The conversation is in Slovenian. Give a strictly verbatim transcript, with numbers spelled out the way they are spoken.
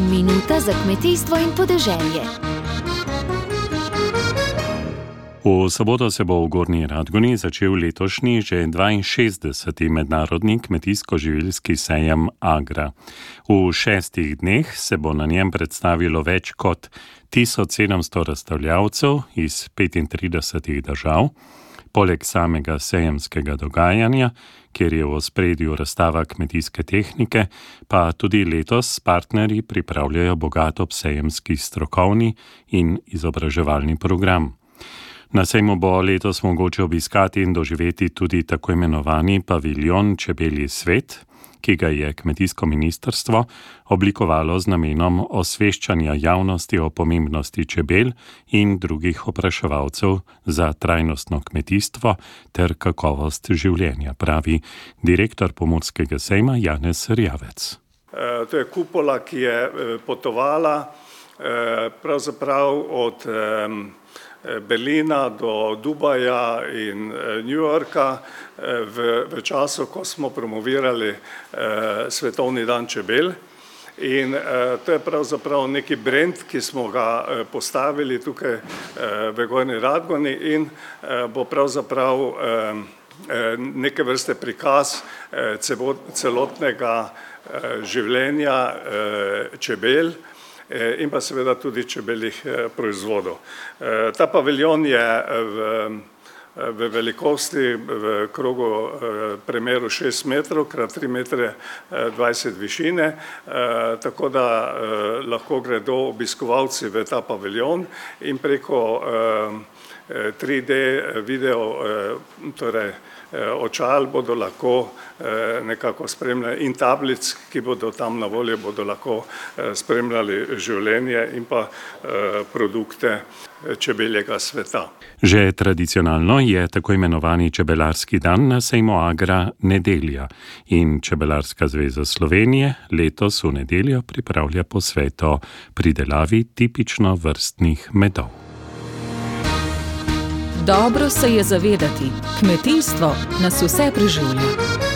Minuta za kmetijstvo in podeželje. V soboto se bo v Gornji Radgoni začel letošnji že dvainšestdeseti mednarodni kmetijsko-živilski sejem Agra. V šestih dneh se bo na njem predstavilo več kot tisoč sedemsto razstavljavcev iz petintridesetih držav. Poleg samega sejemskega dogajanja, kjer je v ospredju razstava kmetijske tehnike, pa tudi letos partnerji pripravljajo bogat obsejemski strokovni in izobraževalni program. Na sejmu bo letos mogoče obiskati in doživeti tudi tako imenovani paviljon Čebelji svet, ki ga je kmetijsko ministrstvo oblikovalo z namenom osveščanja javnosti o pomembnosti čebel in drugih opraševalcev za trajnostno kmetijstvo ter kakovost življenja, pravi direktor Pomurskega sejma Janez Rjavec. E, to je kupola, ki je potovala e, pravzaprav od e, Berlina do Dubaja in New Yorka v, v času, ko smo promovirali eh, Svetovni dan čebel. In eh, to je pravzaprav neki brand, ki smo ga eh, postavili tukaj eh, v Gornji Radgoni in eh, bo pravzaprav eh, neke vrste prikaz eh, celotnega eh, življenja eh, čebel in pa seveda tudi čebeljih proizvodov. Ta paviljon je v, v velikosti v krogu premeru šest metrov krat tri metre dvajset višine, tako da lahko gredo obiskovalci v ta paviljon in preko tri D video, torej očal bodo lahko nekako spremljali in tablic, ki bodo tam na voljo, bodo lahko spremljali življenje in pa produkte čebeljega sveta. Že tradicionalno je tako imenovani čebelarski dan na sejmu Agra nedelja in Čebelarska zveza Slovenije letos v nedeljo pripravlja posvet o pridelavi tipično vrstnih medov. Dobro se je zavedati, kmetijstvo nas vse preživlja.